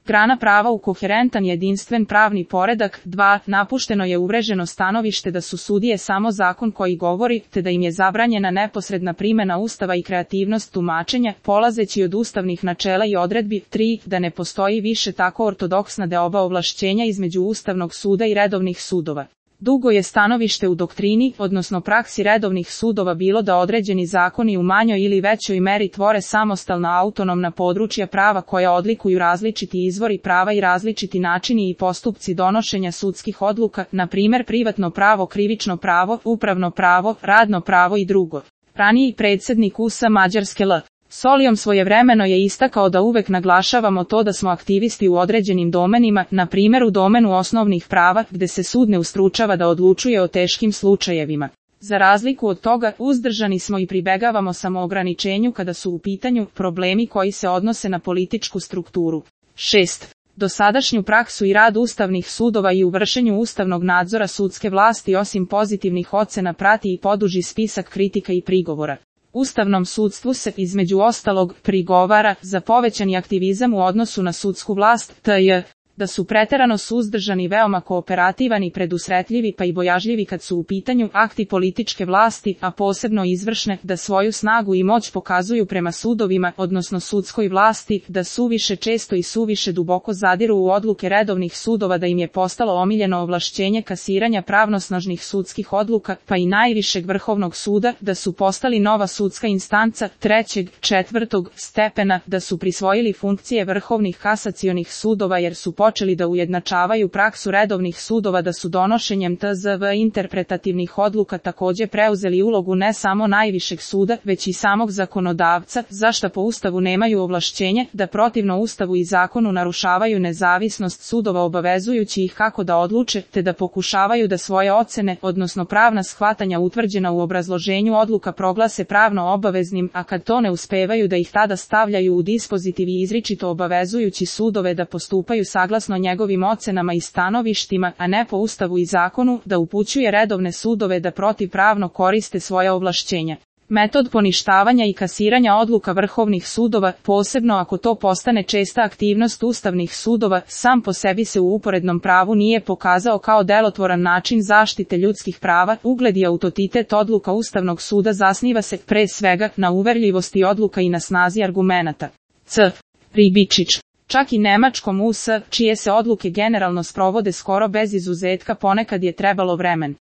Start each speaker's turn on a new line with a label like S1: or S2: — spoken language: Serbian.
S1: Grana prava u koherentan jedinstven pravni poredak. 2. Napušteno je uvreženo stanovište da su sudije samo zakon koji govori, te da im je zabranjena neposredna primjena Ustava i kreativnost tumačenja, polazeći od ustavnih načela i odredbi. 3. Da ne postoji više tako ortodoksna deoba ovlašćenja između Ustavnog suda i redovnih sudova. Dugo je stanovište u doktrini, odnosno praksi redovnih sudova bilo da određeni zakoni u manjoj ili većoj meri tvore samostalna autonomna područja prava koja odlikuju različiti izvori prava i različiti načini i postupci donošenja sudskih odluka, na primjer privatno pravo, krivično pravo, upravno pravo, radno pravo i drugo. Raniji predsjednik USA Mađarske L. Solijom svojevremeno je istakao da uvek naglašavamo to da smo aktivisti u određenim domenima, na primjer u domenu osnovnih prava, gde se sud ne ustručava da odlučuje o teškim slučajevima. Za razliku od toga, uzdržani smo i pribegavamo samoograničenju kada su u pitanju problemi koji se odnose na političku strukturu. 6. Dosadašnju praksu i rad ustavnih sudova i u vršenju ustavnog nadzora sudske vlasti osim pozitivnih ocena prati i poduži spisak kritika i prigovora. Ustavnom sudstvu se, između ostalog, prigovara za povećani aktivizam u odnosu na sudsku vlast, t.j. da su preterano suzdržani, veoma kooperativani i predusretljivi pa i bojažljivi kad su u pitanju akti političke vlasti, a posebno izvršne, da svoju snagu i moć pokazuju prema sudovima, odnosno sudskoj vlasti, da suviše često i suviše duboko zadiru u odluke redovnih sudova, da im je postalo omiljeno ovlašćenje kasiranja pravnosnažnih sudskih odluka, pa i najvišeg vrhovnog suda, da su postali nova sudska instanca trećeg, četvrtog stepena, da su prisvojili funkcije vrhovnih kasacionih sudova jer su počeli da ujednačavaju praksu redovnih sudova, da su donošenjem tzv. Interpretativnih odluka također preuzeli ulogu ne samo najvišeg suda, već i samog zakonodavca, za šta po Ustavu nemaju ovlašćenje, da protivno Ustavu i zakonu narušavaju nezavisnost sudova obavezujući ih kako da odluče, te da pokušavaju da svoje ocene, odnosno pravna shvatanja utvrđena u obrazloženju odluka proglase pravno obaveznim, a kad to ne uspevaju da ih tada stavljaju u dispozitiv i izričito obavezujući sudove da postupaju saglasno njegovim ocenama i stanovištima, a ne po Ustavu i zakonu, da upućuje redovne sudove da protivpravno koriste svoja ovlašćenja. Metod poništavanja i kasiranja odluka vrhovnih sudova, posebno ako to postane česta aktivnost ustavnih sudova, sam po sebi se u uporednom pravu nije pokazao kao delotvoran način zaštite ljudskih prava. Ugled i autoritet odluka Ustavnog suda zasniva se, pre svega, na uverljivosti odluka i na snazi argumenata. C. Ribičić. Čak i nemačkom US, čije se odluke generalno sprovode skoro bez izuzetka, ponekad je trebalo vremen.